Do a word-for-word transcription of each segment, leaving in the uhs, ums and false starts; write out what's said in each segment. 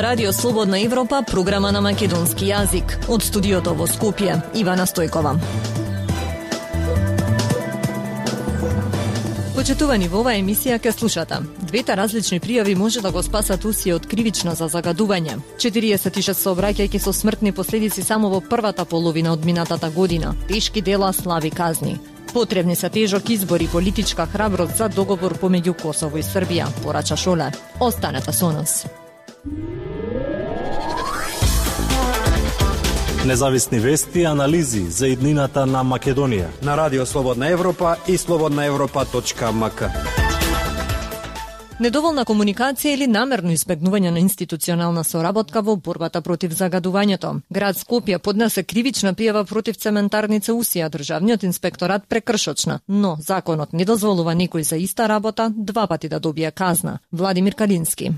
ова Радио Слободна Европа, програма на македонски јазик. Од студиото во Скопје, Ивана Стојкова. Почитувани, во оваа емисија ке слушате. Двете различни пријави може да го спасат Усија од кривично за загадување. четириесет и шест сообраќајки со смртни последици само во првата половина од минатата година. Тешки дела, слаби казни. Потребни се тежок избор и политичка храброст за договор помеѓу Косово и Србија, порача Шоле. Останете со нас. Независни вести и анализи за иднината на Македонија на Радио Слободна Европа и слободна европа точка ем ка. Недоволна комуникација или намерно избегнување на институционална соработка во борбата против загадувањето. Град Скопје поднесе кривична пријава против цементарница Усија, државниот инспекторат прекршочна, но законот не дозволува некој за иста работа два пати да добие казна. Владимир Калински.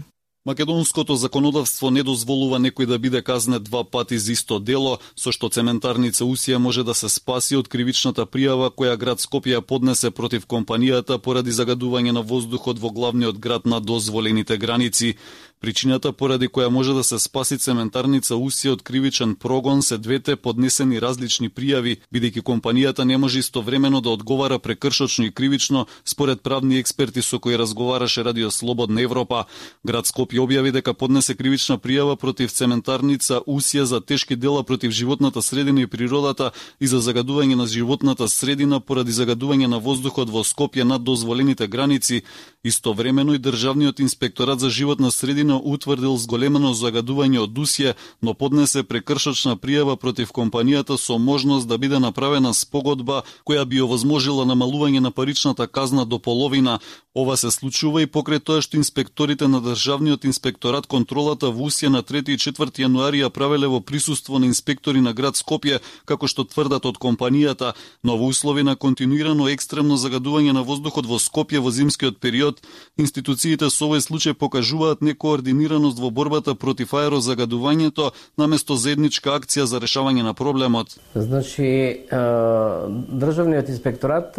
Македонското законодавство не дозволува некој да биде казнет два пати за исто дело, со што цементарница Усија може да се спаси од кривичната пријава која град Скопје поднесе против компанијата поради загадување на воздухот во главниот град на дозволените граници. Причината поради која може да се спаси цементарница Усија од кривичен прогон се двете поднесени различни пријави, бидејќи компанијата не може истовремено да одговара прекршочно и кривично, според правни експерти со кои разговараше Радио Слободна Европа. Град Скопје објави дека поднесе кривична пријава против цементарница Усија за тешки дела против животната средина и природата и за загадување на животната средина поради загадување на воздухот во Скопје над дозволените граници. Истовремено и Државниот инспекторат за животна средина утврдил зголемено загадување од Усија, но поднесе прекршочна пријава против компанијата со можност да биде направена спогодба која би овозможила намалување на паричната казна до половина. Ова се случува и покрај тоа што инспекторите на Државниот инспекторат контролата во Усија на трети и четврти јануари ја правеле во присуство на инспектори на град Скопје, како што тврдат од компанијата, но во услови на континуирано екстремно загадување на воздухот во Скопје во зимскиот период, институциите со овој случај покажуваат некоординираност во борбата против аерозагадувањето наместо заедничка акција за решавање на проблемот. Значи, Државниот инспекторат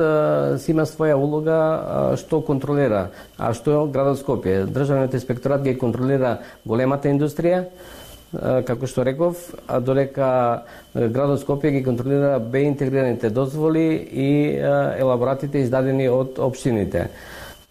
си има своја улога што контролира, а што е градот Скопје. Државниот инспекторат ги контролира големата индустрија, како што реков, а додека градот Скопје ги контролира беинтегрираните дозволи и елаборатите издадени од општините.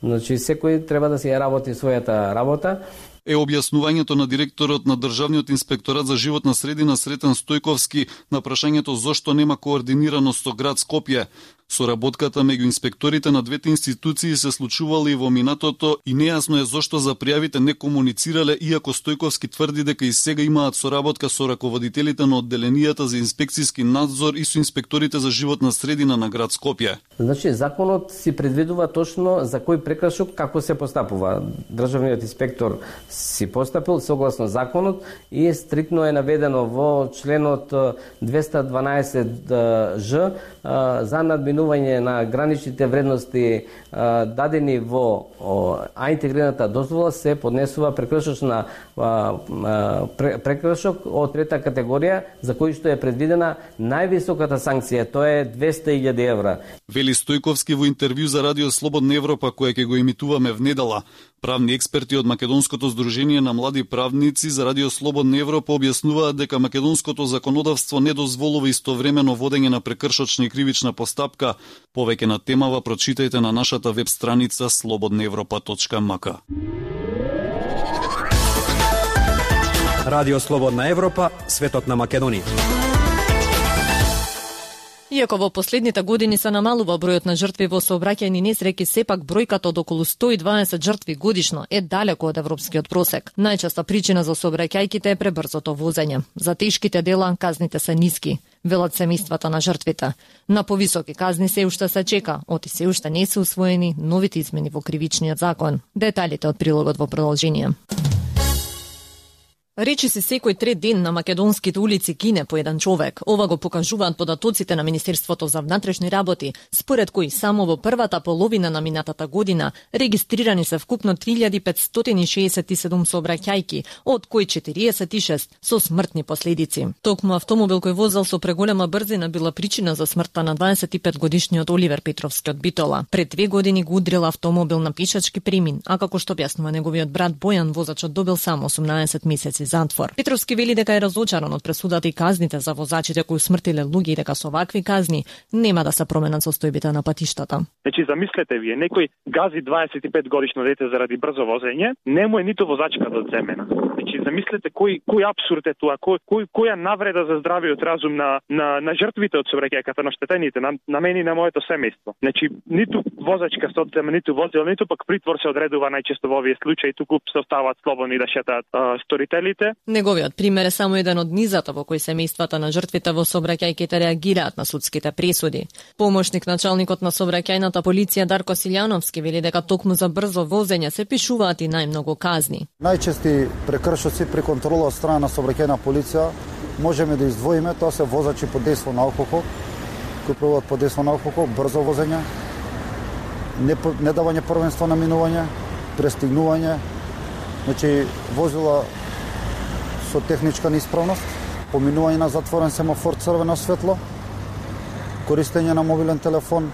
Значи, секој треба да си ја работи својата работа. Е објаснувањето на директорот на Државниот инспекторат за животна средина Сретен Стојковски на прашањето зошто нема координираност со град Скопје. Соработката меѓу инспекторите на двете институции се случувала и во минатото и нејасно е зошто за пријавите не комуницирале, иако Стојковски тврди дека и сега имаат соработка со раководителите на одделенијата за инспекцијски надзор и со инспекторите за животна средина на град Скопје. Значи, законот си предвидува точно за кој прекршок како се постапува. Државниот инспектор си постапил согласно законот и стриктно е наведено во членот двеста дванаесет ж за надминување на граничните вредности а, дадени во а интегрираната дозвола се поднесува прекршочна а, а, прекршок од трета категорија за кој што е предвидена највисоката санкција, тоа е двеста илјади евра. Вели Стојковски во интервју за Радио Слободна Европа која ќе го емитуваме внедела. Правни експерти од Македонското здружение на млади правници за Радио Слободна Европа објаснуваат дека македонското законодавство не дозволува истовремено водење на прекршочна и кривична постапка. Повеќе на темава прочитајте на нашата веб страница слободна европа точка ем ка. Радио Слободна Европа, светот на Македонија. Иако во последните години се намалува бројот на жртви во сообраќајни несреќи, сепак бројката од околу сто и дваесет жртви годишно е далеко од европскиот просек. Најчеста причина за сообраќајките е пребрзото возење. За тешките дела казните се ниски, велат семејствата на жртвите. На повисоки казни се уште се чека, оти се уште не се усвоени новите измени во кривичниот закон. Деталите од прилогот во продолжение. Речи си секој трет ден на македонските улици гине по еден човек. Ова го покажуваат податоците на Министерството за внатрешни работи, според кои само во првата половина на минатата година регистрирани се вкупно три илјади петстотини и шеесет и седум сообраќајки, од кои четириесет и шест со смртни последици. Токму автомобил кој возел со преголема брзина била причина за смртта на дваесет и пет годишниот Оливер Петровски од Битола. Пред две години го удрил автомобил на пешачки премин, а како што објаснува неговиот брат Бојан, возачот добил само осумнаесет месеци месеци затвор. Петровски вели дека е разочаран од пресудата и казните за возачите кои смртиле луѓе и дека со вакви казни нема да се променат состојбите на патиштата. Значи замислете вие, некој гази дваесет и пет годишно дете заради брзо возење, не му е ниту возачка да одземена. Значи замислете кој кој апсурд е тоа, кој кој која навреда за здравиот разум на на на жртвите од сообраќајката, на штетените, на, на мене и на моето семејство. Значи ниту возачка се одзема, ниту возило, ниту пак притвор се одредува најчесто во овие случаи, туку се оставаат слободни да шетаат а, сторителите. Неговиот пример е само еден од низата во кои семејствата на жртвите во сообраќајките реагираат на судските пресуди. Помошник началникот на сообраќајната полиција Дарко Силјановски вели дека токму за брзо возење се пишуваат и најмногу казни. Најчести прекршоци при контрола од страна на сообраќајна полиција можеме да издвоиме, тоа се возачи под дејство на алкохол, кои пробуваат под дејство на алкохол, брзо возење, не, не давање првенство на минување, престигнување, значи возила со техничка неисправност, поминување на затворен семафор црвено светло, користење на мобилен телефон,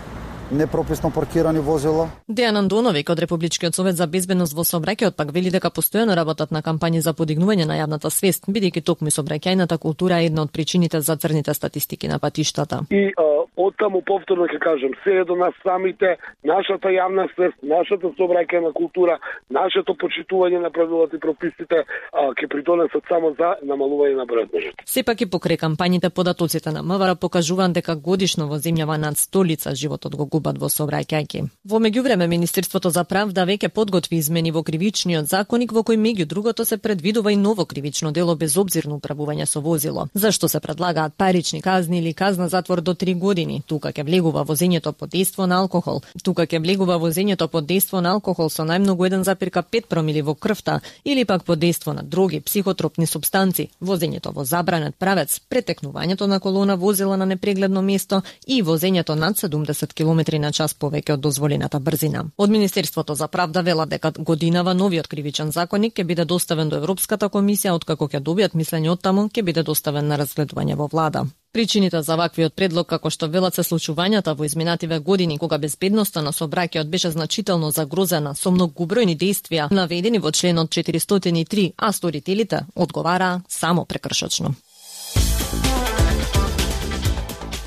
непрописно паркирани возила. Дејан Андоновик од Републичкиот совет за безбедност во сообраќајот пак вели дека постојано работат на кампањи за подигнување на јавната свест, бидејќи токму сообраќајната култура е една од причините за црните статистики на патиштата. И оттаму повторно ќе кажам, се е до нас самите, нашата јавна свест, нашата сообраќајна култура, нашето почитување на правилата и прописите ќе придонесат само за намалување на бројот на жртви. Сепак и покрај кампањите податоците на МВР покажуваат дека годишно во земјава над сто лица животот го губат во сообраќајки. Во меѓувреме Министерството за правда веќе подготви измени во кривичниот законник во кој меѓу другото се предвидува и ново кривично дело безобзирно управување со возило. Зашто се предлагаат парични казни или казна затвор до три години? Тука ќе влегува возењето под дејство на алкохол. Тука ќе влегува возењето под дејство на алкохол со најмногу еден запирка пет промили во крвта или пак под дејство на други психотропни супстанци, возењето во забранет правец, претекнувањето на колона возила на непрегледно место и возењето над седумдесет километри на час повеќе од дозволената брзина. Од Министерството за правда велат дека годинава новиот кривичен законник ќе биде доставен до Европската комисија, откако ќе добијат мислење од таму, ќе биде доставен на разгледување во влада. Причините за ваквиот предлог, како што велат, се случувањата во изминативе години кога безбедноста на сообраќајот беше значително загрозена со многобројни дејствија наведени во членот четиристотини и три, а сторителите одговараа само прекршочно.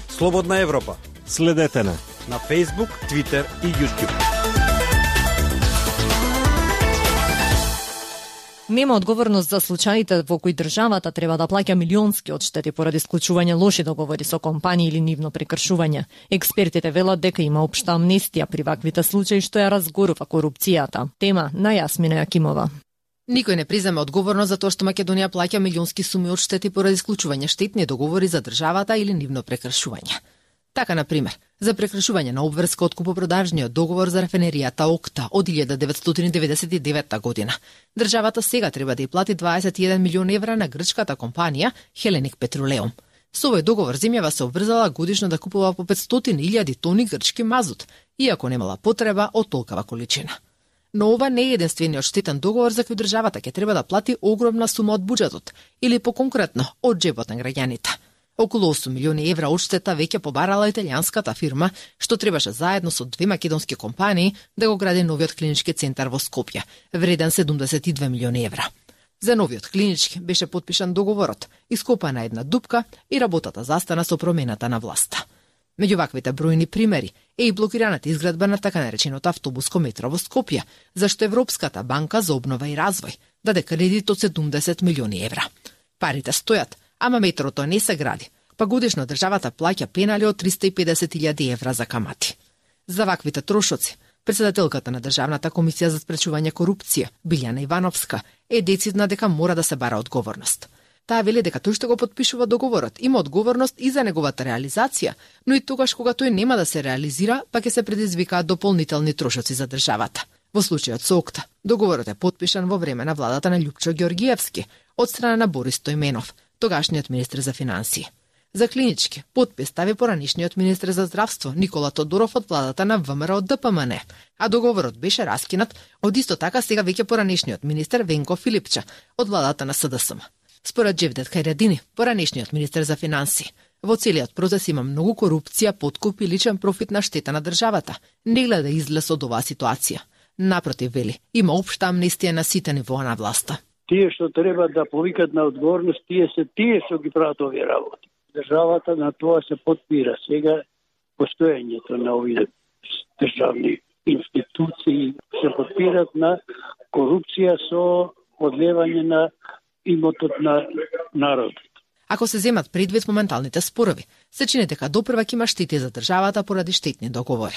Слободна Европа. Следете на на Facebook, Twitter и YouTube. Нема одговорност за случаите во кои државата треба да плаќа милионски одштети поради склучување лоши договори со компании или нивно прекршување. Експертите велат дека има општа амнестија при ваквите случаи што ја разгорува корупцијата. Тема на Јасмина Јакимова. Никој не призема одговорност за тоа што Македонија плаќа милионски суми одштети поради склучување штетни договори за државата или нивно прекршување. Така, на пример, за прекршување на обврска од купопродажниот договор за рафинеријата Окта од илјада деветстотини деведесет и девета година. Државата сега треба да ја плати дваесет и еден милион евра на грчката компанија Hellenic Petroleum. Со овој договор земјава се обврзала годишно да купува по петстотини илјади тони грчки мазут, иако немала потреба од толкава количина. Но ова не е единствениот штетен договор за кој државата ќе треба да плати огромна сума од буџетот, или поконкретно од џебот на граѓаните. Околу осум милиони евра одштета веќе побарала италијанската фирма, што требаше заедно со две македонски компании да го гради новиот клинички центар во Скопје, вреден седумдесет и две милиони евра. За новиот клинички беше потпишан договорот, ископана една дупка и работата застана со промената на власта. Меѓу ваквите бројни примери е и блокираната изградба на така нареченото автобуско метро во Скопје, зашто Европската банка за обнова и развој даде кредит од седумдесет милиони евра. Парите стојат, ама метрото не се гради, па годишно државата плаќа пенали од триста и педесет илјади евра за камати. За ваквите трошоци, председателката на Државната комисија за спречување корупција, Билјана Ивановска, е децидна дека мора да се бара одговорност. Таа вели дека тој што го потпишува договорот има одговорност и за неговата реализација, но и тогаш кога тој нема да се реализира, па ќе се предизвикаат дополнителни трошоци за државата. Во случајот со Окта, договорот е потпишан во време на владата на Љупчо Ѓоргиевски од страна на Борис Стојменов, тогашниот министер за финансии. За клинички потпис стави поранишниот министер за здравство Никола Тодоров од владата на ВМРО Д П М Н, а договорот беше раскинат од исто така сега веќе поранишниот министер Венко Филипча од владата на С Д С М. Според Џевдет Хајредини, поранишниот министер за финансии, во целиот процес има многу корупција, подкуп и личен профит на штета на државата. Не гледа излез од оваа ситуација. Напротив, вели, има општа амнестија на сите нивоа на власта. тие што треба да повикат на одговорност, тие се тие што ги прават овие работи. Државата на тоа се подпира. Сега постоењето на овие државни институции се подпират на корупција со одлевање на имотот на народот. Ако се земат предвид моменталните спорови, се чини дека допрвак има штети за државата поради штетни договори.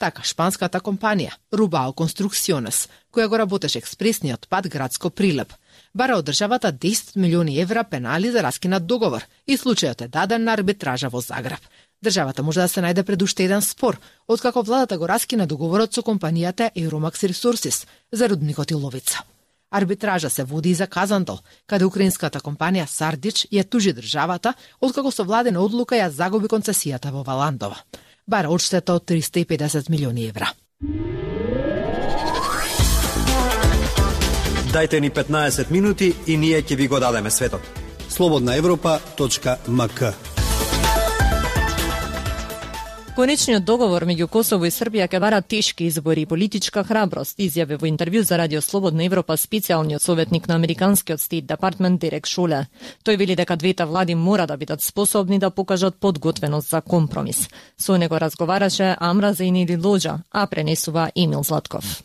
Така, шпанската компанија Rubao Construcciones, која го работеше експресниот пат Градско Прилеп, бара од државата десет милиони евра пенали за раскинат договор и случајот е даден на арбитража во Загреб. Државата може да се најде пред уште еден спор, откако владата го раскина договорот со компанијата Euromax Resources за рудникот Иловица. Арбитража се води и за Казантол, каде украинската компанија Сардич ја тужи државата, откако со владена одлука ја загуби концесијата во Валандова. Бара одштета од триста и педесет милиони евра. Дајте ни петнаесет минути и ние ќе ви го дадеме светот. слободна европа точка ем ка. Конечниот договор меѓу Косово и Србија ќе бара тешки избори и политичка храброст, изјави во интервју за Радио Слободна Европа специјалниот советник на Американскиот Стейт Департмент Дерек Шоле. Тој вели дека двете влади мора да бидат способни да покажат подготвеност за компромис. Со него разговараше Амра Зейнили Лоџа, а пренесува Емил Златков.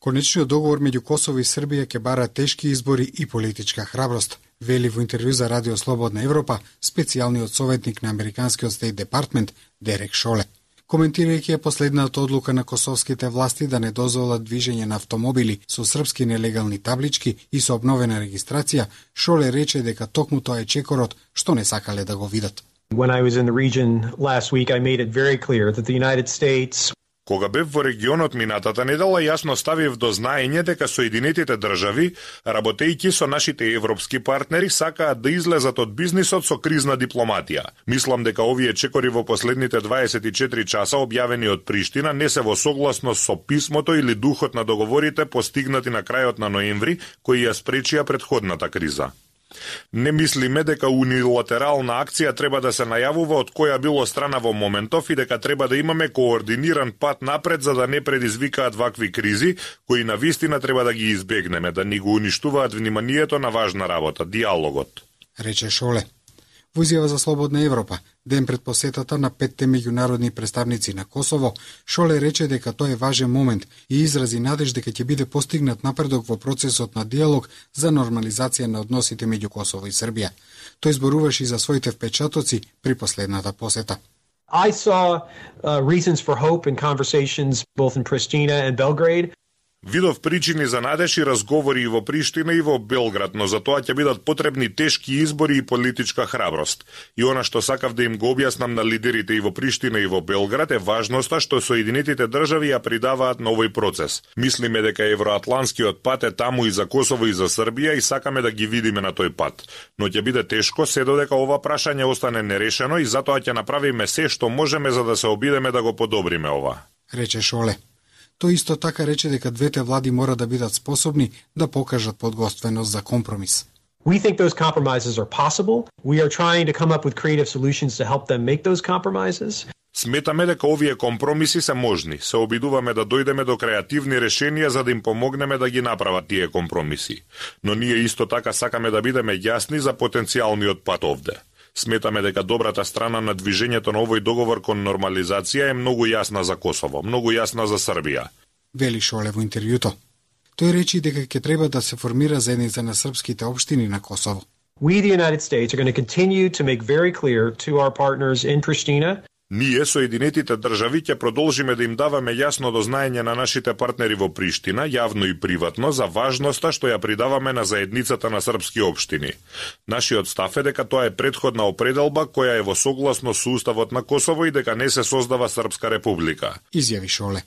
Конечниот договор меѓу Косово и Србија ќе бара тешки избори и политичка храброст, вели во интервју за Радио Слободна Европа специјалниот советник на Американскиот Стейт Департмент Дерек Шоле. Коментирајќи ја последната одлука на косовските власти да не дозволат движење на автомобили со српски нелегални таблички и со обновена регистрација, Шоле рече дека токму тоа е чекорот што не сакале да го видат. When I was in the region last week, I made it very clear that the United States Кога бев во регионот минатата недела, јасно ставив до знаење дека Соединетите држави, работејќи со нашите европски партнери, сакаат да излезат од бизнисот со кризна дипломатија. Мислам дека овие чекори во последните дваесет и четири часа објавени од Приштина не се во согласност со писмото или духот на договорите постигнати на крајот на ноември, кои ја спречија претходната криза. Не мислиме дека унилатерална акција треба да се најавува од која било страна во моментов и дека треба да имаме координиран пат напред за да не предизвикаат вакви кризи, кои на вистина треба да ги избегнеме, да ни го уништуваат вниманието на важна работа, диалогот. Рече Шоле. Во изјава за Слободна Европа, ден пред посетата на петте меѓународни представници на Косово, Шоле рече дека тоа е важен момент и изрази надеж дека ќе биде постигнат напредок во процесот на диалог за нормализација на односите меѓу Косово и Србија. Тој зборуваше и за своите впечатоци при последната посета. I saw uh, reasons for hope in conversations both in Pristina and Belgrade. Видов причини за надеж и разговори и во Приштина и во Белград, но за тоа ќе бидат потребни тешки избори и политичка храброст. И она што сакав да им го објаснам на лидерите и во Приштина и во Белград е важноста што Соединетите држави ја придаваат на овој процес. Мислиме дека евроатланскиот пат е таму и за Косово и за Србија и сакаме да ги видиме на тој пат. Но ќе биде тешко се додека ова прашање остане нерешено и затоа ќе направиме се што можеме за да се обидеме да го подобриме ова. Рече Шоле. Тој исто така рече дека двете влади мора да бидат способни да покажат подготвеност за компромис. We think those compromises are possible. We are trying to come up with creative solutions to help them make those compromises. Сметаме дека овие компромиси се можни. Се обидуваме да дојдеме до креативни решенија за да им помогнеме да ги направат тие компромиси. Но ние исто така сакаме да бидеме јасни за потенцијалниот пат овде. Сметаме дека добрата страна на движењето на овој договор кон нормализација е многу јасна за Косово, многу јасна за Србија. Вели Шоле во интервјуто. Тој речи дека ќе треба да се формира заедница на српските општини на Косово. We, the United States, are going to continue to make very clear to our partners in Pristina. Ние, Соединетите држави, ќе продолжиме да им даваме јасно до знаење на нашите партнери во Приштина, јавно и приватно, за важноста што ја придаваме на заедницата на српски општини. Нашиот став е дека тоа е претходна определба која е во согласност со Уставот на Косово и дека не се создава Српска република. Изјави Шоле.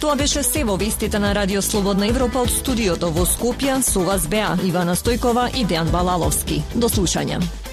Тоа беше се во вестите на Радио Слободна Европа од студиото во Скопје. Со вас беа Ивана Стојкова и Дејан Балаловски. До слушање.